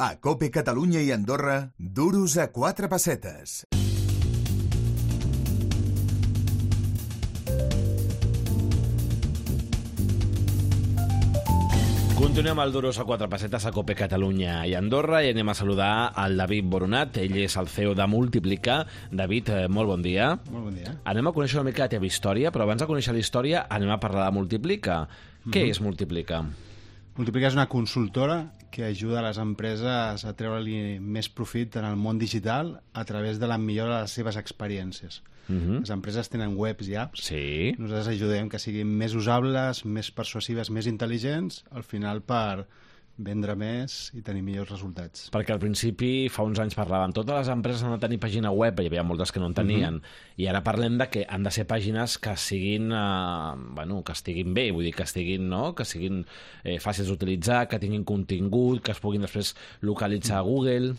A COPE Catalunya i Andorra, duros a 4 pessetes. Continuem al Duros a 4 pessetes a COPE Catalunya i Andorra i anem a saludar al David Boronat. Ell és el CEO de Multiplica. David, molt bon dia. Molt bon dia. Anem a conèixer una mica la teva història, però abans de conèixer la història anem a parlar de Multiplica. Què és Multiplica? Multiplica és una consultora que ajuda a les empreses a treure-li més profit en el món digital a través de la millora de les seves experiències. Les empreses tenen webs i apps. Sí. Nosaltres ajudem que siguin més usables, més persuasives, més intel·ligents, al final per vendre més i tenir millors resultats. Perquè al principi, fa uns anys parlàvem, totes les empreses han de tenir pàgina web, hi havia moltes que no en tenien, i ara parlem de que han de ser pàgines que siguin, que estiguin bé, vull dir, que estiguin, no?, que siguin fàcils d'utilitzar, que tinguin contingut, que es puguin després localitzar a Google.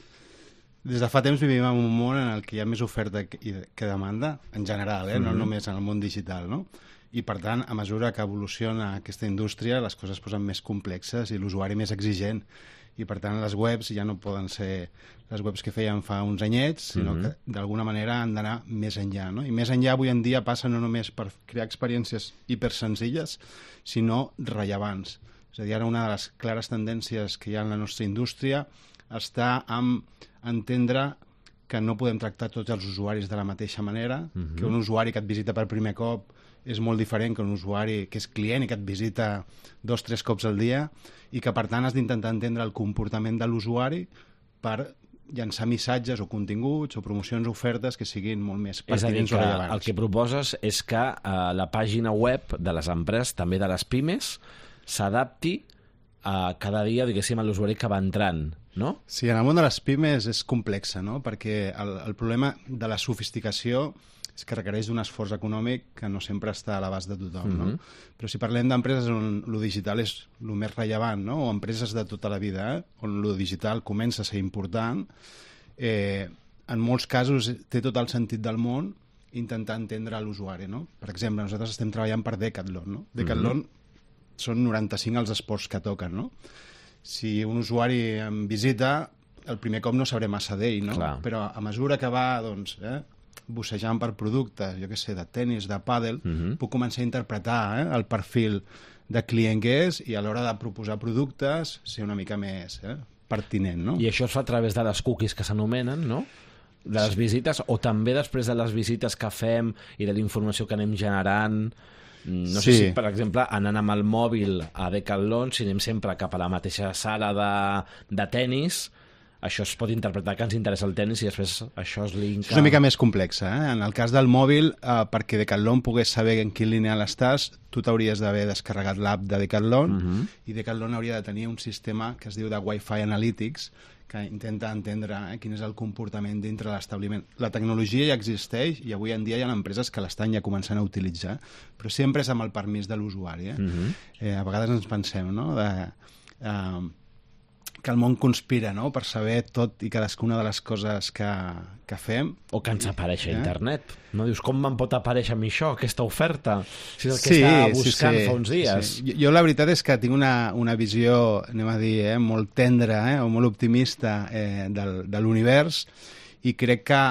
Des de fa temps vivim en un món en el que hi ha més oferta que demanda, en general, no només en el món digital, no? I, per tant, a mesura que evoluciona aquesta indústria, les coses es posen més complexes i l'usuari més exigent. I, per tant, les webs ja no poden ser les webs que feien fa uns anyets, sinó que, d'alguna manera, han d'anar més enllà, no? I més enllà, avui en dia, passa no només per crear experiències hipersenzilles, sinó rellevants. És a dir, ara una de les clares tendències que hi ha en la nostra indústria està en entendre que no podem tractar tots els usuaris de la mateixa manera, que un usuari que et visita per primer cop és molt diferent que un usuari que és client i que et visita 2 o 3 cops al dia, i que per tant has d'intentar entendre el comportament de l'usuari per llançar missatges o continguts o promocions o ofertes que siguin molt més pertinents o rellevants. És a dir, que el que proposes és que la pàgina web de les empreses, també de les pimes, s'adapti cada dia, diguéssim, a l'usuari que va entrant, no? Sí, en el món de les pimes és complexa, no? Perquè el problema de la sofisticació és que requereix d'un esforç econòmic que no sempre està a l'abast de tothom, no? Però si parlem d'empreses on lo digital és el més rellevant, no? O empreses de tota la vida, on lo digital comença a ser important, en molts casos té tot el sentit del món intentar entendre l'usuari, no? Per exemple, nosaltres estem treballant per Decathlon, no? Decathlon són 95 els esports que toquen, no? Si un usuari em visita, el primer cop no sabré massa d'ell, no? Clar. Però a mesura que va, doncs, bussejant per productes, jo què sé, de tenis, de pàdel, puc començar a interpretar el perfil de client que és i a l'hora de proposar productes ser una mica més pertinent, no? I això es fa a través de les cookies que s'anomenen, no?, de les visites, o també després de les visites que fem i de la informació que anem generant. No sé si, per exemple, anant amb el mòbil a Decathlon, si anem sempre cap a la mateixa sala de tennis, això es pot interpretar que ens interessa el tennis i després això es linka... És una mica més complexa, En el cas del mòbil, perquè Decathlon pogués saber en quin lineal estàs, tu t'hauries d'haver descarregat l'app de Decathlon i Decathlon hauria de tenir un sistema que es diu de Wi-Fi Analytics que intenta entendre quin és el comportament dintre l'establiment. La tecnologia ja existeix i avui en dia hi ha empreses que l'estan ja començant a utilitzar, però sempre és amb el permís de l'usuari. A vegades ens pensem, no?, que el món conspira, no?, per saber tot i cadascuna de les coses que fem. O que ens apareix a internet. No dius, com me'n pot aparèixer a mi això, aquesta oferta? Si és el que estava buscant fa uns dies. Sí. Jo la veritat és que tinc una visió, anem a dir, molt tendra o molt optimista de l'univers, i crec que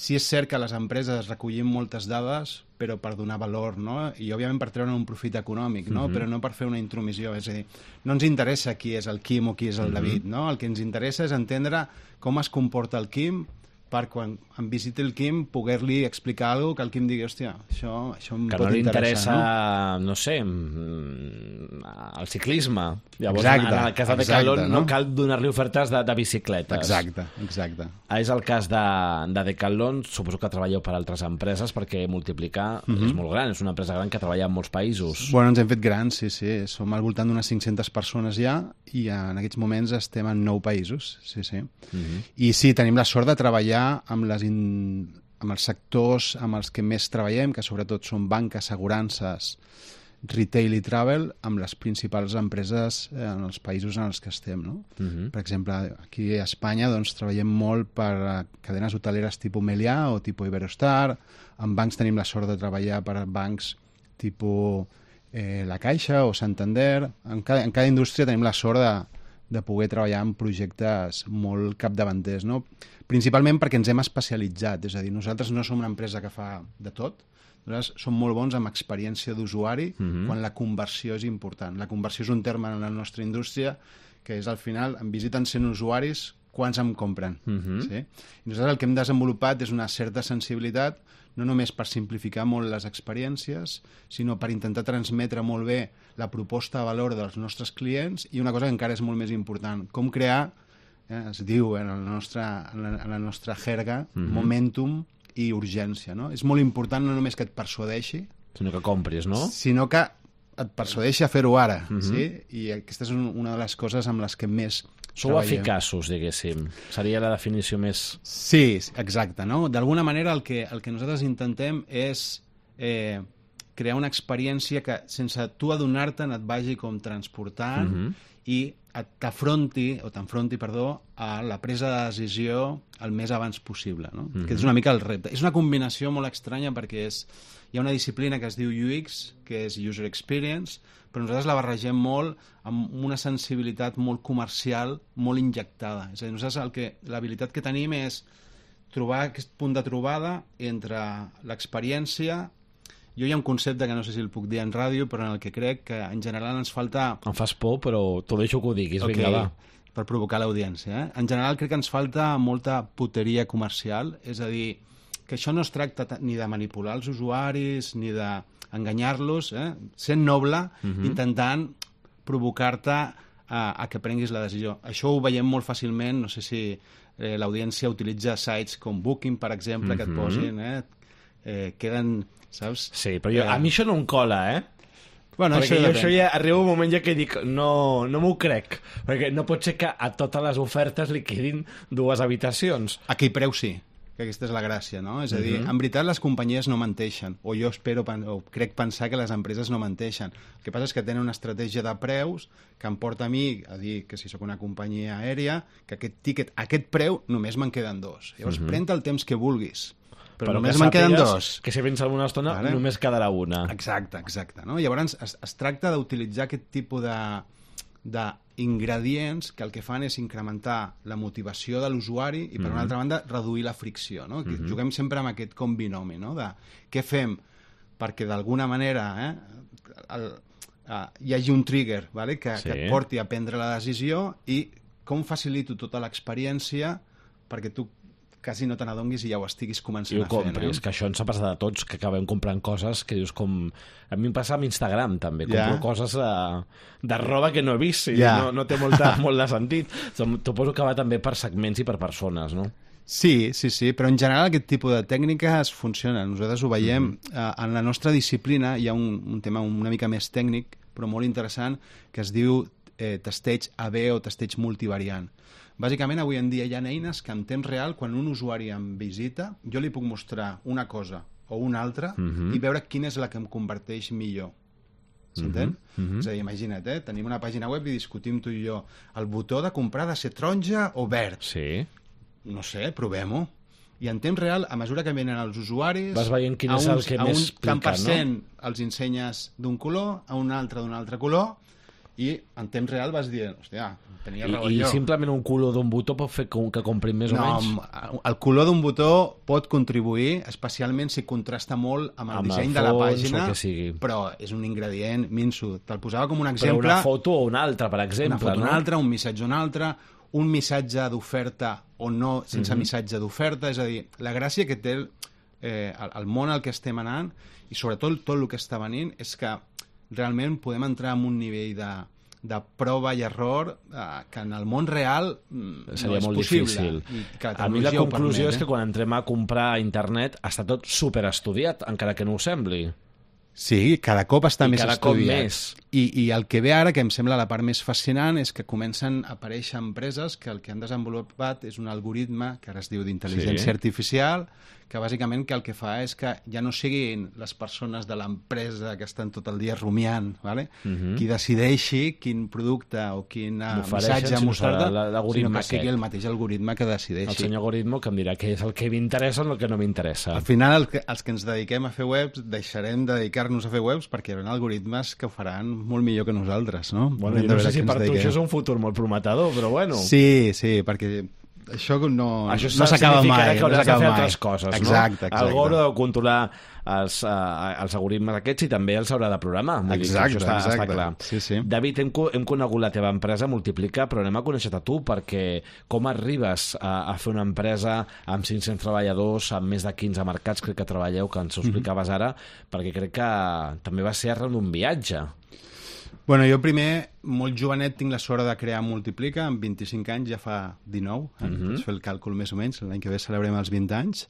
sí és cert que les empreses recollim moltes dades, però per donar valor, no? I, òbviament, per treure un profit econòmic, no? Però no per fer una intromissió. És a dir, no ens interessa qui és el Quim o qui és el David, no? El que ens interessa és entendre com es comporta el Quim per quan em visiti el Quim poder-li explicar alguna cosa que el Quim digui, hòstia, això em pot interessar. Que no li interessa, no sé, el ciclisme. Llavors, en el cas de Decathlon, no cal donar-li ofertes de bicicletes. Exacte. És el cas de Decathlon. Suposo que treballeu per altres empreses, perquè Multiplicar és molt gran, és una empresa gran que treballa en molts països. Bueno, ens hem fet grans, sí. Som al voltant d'unes 500 persones ja, i en aquests moments estem en 9 països, sí. I sí, tenim la sort de treballar amb els sectors amb els que més treballem, que sobretot són banca, assegurances, retail i travel, amb les principals empreses en els països en els que estem, no? Per exemple, aquí a Espanya doncs, treballem molt per cadenes hoteleres tipus Meliá o tipus Iberostar. En bancs tenim la sort de treballar per bancs tipus La Caixa o Santander. En cada indústria tenim la sort de poder treballar en projectes molt capdavanters, no? Principalment perquè ens hem especialitzat, és a dir, nosaltres no som una empresa que fa de tot, nosaltres som molt bons amb experiència d'usuari quan la conversió és important. La conversió és un terme en la nostra indústria que és al final, em visiten 100 usuaris, quants em compren. Sí? I nosaltres el que hem desenvolupat és una certa sensibilitat, no només per simplificar molt les experiències, sinó per intentar transmetre molt bé la proposta de valor dels nostres clients i una cosa que encara és molt més important, com crear, es diu en la nostra jerga, momentum i urgència. No? És molt important no només que et persuadeixi, sinó que compris, no? Sinó que et persuadeixi a fer-ho ara. Sí? I aquesta és una de les coses amb les que més sou eficaços, diguéssim. Seria la definició més... Sí, exacte. No? D'alguna manera el que nosaltres intentem és crear una experiència que sense tu adonar-te'n et vagi com transportant i t'enfronti a la presa de decisió el més abans possible. No? Que és una mica el repte. És una combinació molt estranya perquè hi ha una disciplina que es diu UX, que és User Experience, però nosaltres la barregem molt amb una sensibilitat molt comercial, molt injectada. És a dir, nosaltres l'habilitat que tenim és trobar aquest punt de trobada entre l'experiència. Jo hi ha un concepte que no sé si el puc dir en ràdio, però en el que crec que en general ens falta... Em fas por, però t'ho deixo que ho diguis. Okay. Vinga, va. Per provocar l'audiència. En general crec que ens falta molta puteria comercial, és a dir, que això no es tracta ni de manipular els usuaris, ni d'enganyar-los, sent noble, intentant provocar-te a que prenguis la decisió. Això ho veiem molt fàcilment, no sé si l'audiència utilitza sites com Booking, per exemple, que et posin, queden... Saps? Sí, però a mi això no em cola, Bueno, perquè això ja arriba un moment ja que dic no m'ho crec, perquè no pot ser que a totes les ofertes li quedin 2 habitacions. A aquell preu sí, que aquesta és la gràcia, no? És a dir, en veritat les companyies no menteixen, o jo espero o crec pensar que les empreses no menteixen. El que passa és que tenen una estratègia de preus que em porta a mi a dir que si sóc una companyia aèria, que aquest tiquet, a aquest preu, només me'n queden 2. Llavors, pren-te el temps que vulguis. Però només me'n queden 2. Que si vens alguna estona, només quedarà una. Exacte. No? Llavors es tracta d'utilitzar aquest tipus d'ingredients que el que fan és incrementar la motivació de l'usuari i, per una altra banda, reduir la fricció. No? Juguem sempre amb aquest com binomi, no? De què fem perquè d'alguna manera hi hagi un trigger, vale? que et porti a prendre la decisió, i com facilito tota l'experiència perquè tu quasi no te n'adonguis i ja ho estiguis començant a fer. Compris, que això ens ha passat a tots, que acabem comprant coses que dius com... A mi em passa amb Instagram, també. Compro coses de roba que no he vist i no té molt de sentit. T'ho poso que va també per segments i per persones, no? Sí, però en general aquest tipus de tècniques funcionen. Nosaltres ho veiem. En la nostra disciplina hi ha un tema una mica més tècnic, però molt interessant, que es diu testeig AB o testeig multivariant. Bàsicament, avui en dia hi ha eines que en temps real, quan un usuari em visita, jo li puc mostrar una cosa o una altra i veure quina és la que em converteix millor. S'entén? És a dir, imagina't, tenim una pàgina web i discutim tu i jo. El botó de comprar ha de ser taronja o verd? Sí. No sé, provem-ho. I en temps real, a mesura que venen els usuaris... Vas veient quin és el que més pica, no? A un tant % els ensenyes d'un color, a un altre d'un altre color, i en temps real vas dient, hòstia, tenia raó jo. I simplement un color d'un botó pot fer que comprin més o menys? No, el color d'un botó pot contribuir, especialment si contrasta molt amb el disseny de la pàgina, però és un ingredient minso. Te'l posava com un exemple... Però una foto o una altra, per exemple. Una foto o una altra, un missatge o una altra, un missatge d'oferta o no sense missatge d'oferta, és a dir, la gràcia que té el món al que estem anant, i sobretot tot el que està venint, és que realment podem entrar en un nivell de prova i error que en el món real seria no molt possible. Difícil. A mi la conclusió és que quan entrem a comprar a internet està tot superestudiat, encara que no ho sembli. Sí, cada cop està més estudiat. Més. I el que ve ara, que em sembla la part més fascinant, és que comencen a aparèixer empreses que el que han desenvolupat és un algoritme que ara es diu d'intel·ligència artificial, que bàsicament el que fa és que ja no siguin les persones de l'empresa que estan tot el dia rumiant, ¿vale? Qui decideixi quin producte o quin missatge mostrar-te, sinó que sigui el mateix algoritme que decideixi. El senyor algoritme que em dirà què és el que m'interessa o el que no m'interessa. Al final, els que ens dediquem a fer webs, deixarem de dedicar-nos a fer webs perquè hi haurà algoritmes que ho faran molt millor que nosaltres, no? Bueno, jo no sé si per tu això és un futur molt prometedor, però bueno. Sí, perquè això no s'acaba mai. Que hauràs de fer altres coses, exacte, no? Algú haurà de controlar els algoritmes aquests i també els haurà de programar. Exacte. Està clar. Sí. David, hem conegut la teva empresa, Multiplica, però anem a conèixer-te tu, perquè com arribes a fer una empresa amb 500 treballadors, amb més de 15 mercats, crec que treballeu, que ens ho explicaves ara, perquè crec que també va ser arran d'un viatge. Bueno, jo primer, molt jovenet, tinc la sort de crear Multiplica, amb 25 anys, ja fa 19, pots fer el càlcul més o menys, l'any que ve celebrem els 20 anys.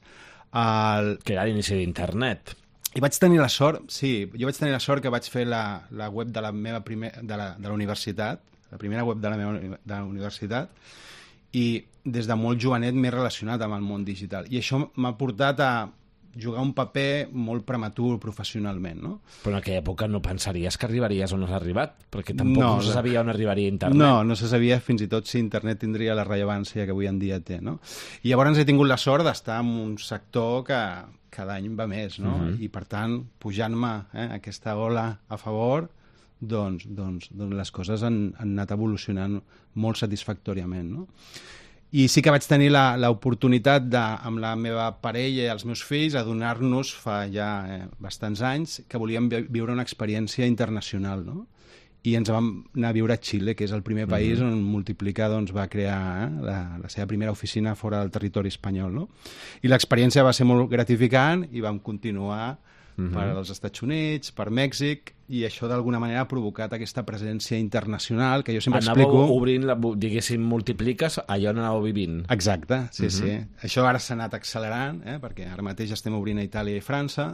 Que era l'inici d'internet. I vaig tenir la sort, jo vaig tenir la sort que vaig fer la web de la meva de la universitat, la primera web de la universitat, i des de molt jovenet m'he relacionat amb el món digital. I això m'ha portat a jugar un paper molt prematur professionalment, no? Però en aquella època no pensaries que arribaries on has arribat, perquè tampoc no se sabia on arribaria internet. No se sabia fins i tot si internet tindria la rellevància que avui en dia té, no? I llavors he tingut la sort d'estar en un sector que cada any va més, no? I per tant, pujant-me aquesta ola a favor, doncs les coses han anat evolucionant molt satisfactòriament, no? I sí que vaig tenir l'oportunitat amb la meva parella i els meus fills adonar-nos fa ja bastants anys que volíem viure una experiència internacional, no? I ens vam anar a viure a Xile, que és el primer país on Multiplica va crear la seva primera oficina fora del territori espanyol, no? I l'experiència va ser molt gratificant i vam continuar per als Estats Units, per Mèxic, i això d'alguna manera ha provocat aquesta presència internacional que jo sempre explico... Anàveu obrint, diguéssim, Multipliques allà on anàveu vivint. Exacte, sí. Això ara s'ha anat accelerant, perquè ara mateix estem obrint a Itàlia i França,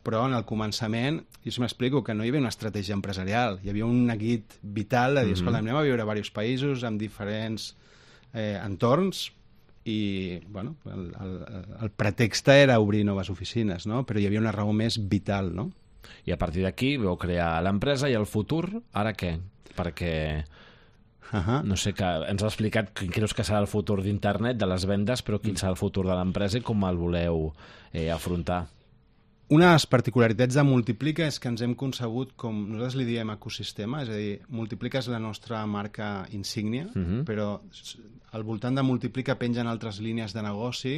però en el començament, jo sempre explico que no hi havia una estratègia empresarial, hi havia un neguit vital de dir, escolta, anem a viure a diversos països amb diferents entorns, i bueno, el pretext era obrir noves oficines, no? Però hi havia una raó més vital, no? I a partir d'aquí vau crear l'empresa i el futur, ara què? Perquè no sé, que ens has explicat quin creus que serà el futur d'internet, de les vendes, però quin serà el futur de l'empresa i com el voleu afrontar? Una de les particularitats de Multiplica és que ens hem concebut com nosaltres li diem ecosistema, és a dir, Multiplica és la nostra marca insígnia, però al voltant de Multiplica pengen altres línies de negoci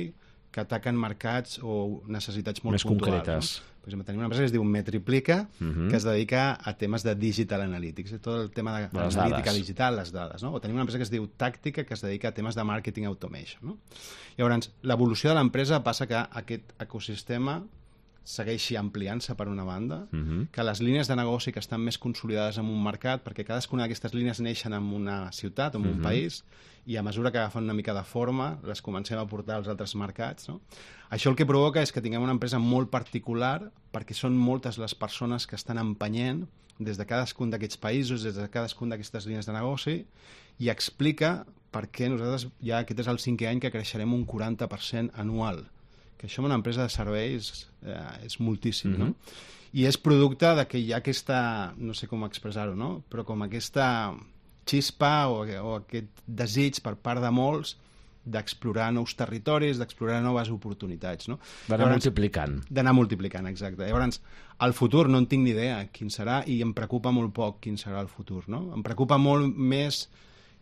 que ataquen mercats o necessitats molt més puntuals. Concretes. No? Per exemple, tenim una empresa que es diu Metriplica, que es dedica a temes de digital analytics, tot el tema d'analítica digital, les dades. No? O tenim una empresa que es diu Tàctica, que es dedica a temes de marketing automation. No? Llavors, l'evolució de l'empresa passa que aquest ecosistema segueixi ampliant-se per una banda, que les línies de negoci que estan més consolidades en un mercat, perquè cadascuna d'aquestes línies neixen en una ciutat, en un país, i a mesura que agafen una mica de forma, les comencem a portar als altres mercats. No? Això el que provoca és que tinguem una empresa molt particular, perquè són moltes les persones que estan empenyent des de cadascun d'aquests països, des de cadascun d'aquestes línies de negoci, i explica per què nosaltres, ja aquest és el 5è any que creixerem un 40% anual, que això en una empresa de serveis és moltíssim, no? I és producte de que hi ha aquesta, no sé com expressar-ho, no? Però com aquesta xispa o aquest desig per part de molts d'explorar nous territoris, d'explorar noves oportunitats, no? D'anar multiplicant. D'anar multiplicant, exacte. Llavors, el futur no en tinc ni idea quin serà i em preocupa molt poc quin serà el futur, no? Em preocupa molt més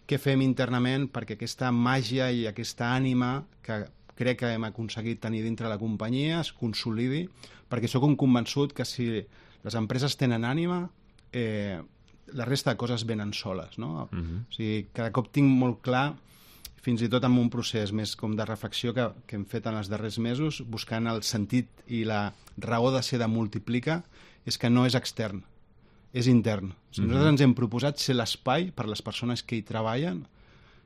què fem internament perquè aquesta màgia i aquesta ànima que crec que hem aconseguit tenir dintre la companyia es consolidi, perquè sóc un convençut que si les empreses tenen ànima, la resta de coses venen soles, no? O sigui, cada cop tinc molt clar, fins i tot en un procés més com de reflexió que hem fet en els darrers mesos, buscant el sentit i la raó de ser de Multiplica, és que no és extern, és intern. O sigui, nosaltres ens hem proposat ser l'espai per les persones que hi treballen,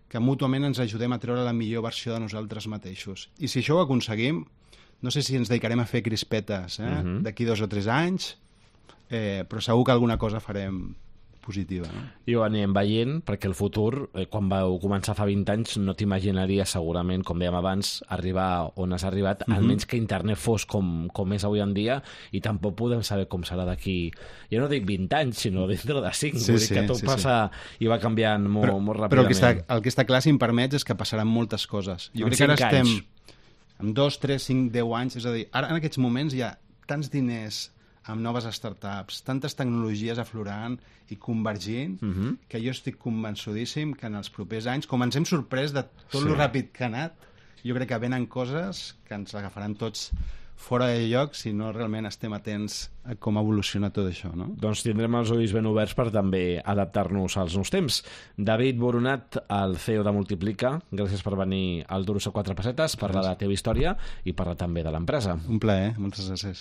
que mútuament ens ajudem a treure la millor versió de nosaltres mateixos. I si això ho aconseguim, no sé si ens dedicarem a fer crispetes d'aquí 2 o 3 anys, però segur que alguna cosa farem positiva. No? I ho anirem veient, perquè el futur, quan vau començar fa 20 anys, no t'imaginaria segurament, com dèiem abans, arribar on has arribat, almenys que internet fos com és avui en dia, i tampoc podem saber com serà d'aquí, jo no dic 20 anys, sinó dintre de 5, vull dir que tot passa i va canviant molt ràpidament. Però el que està clar, si em permets, és que passaran moltes coses. Jo crec que ara estem en 2, 3, 5, 10 anys, és a dir, ara en aquests moments hi ha tants diners amb noves startups, tantes tecnologies aflorant i convergint, que jo estic convençudíssim que en els propers anys, com ens hem sorprès de tot lo ràpid que ha anat, jo crec que venen coses que ens agafaran tots fora de lloc si no realment estem atents a com evoluciona tot això, no? Doncs tindrem els ulls ben oberts per també adaptar-nos als nous temps. David Boronat, el CEO de Multiplica, gràcies per venir al Duros a 4 pessetes, parlar de la teva història i parlar també de l'empresa. Un plaer, moltes gràcies.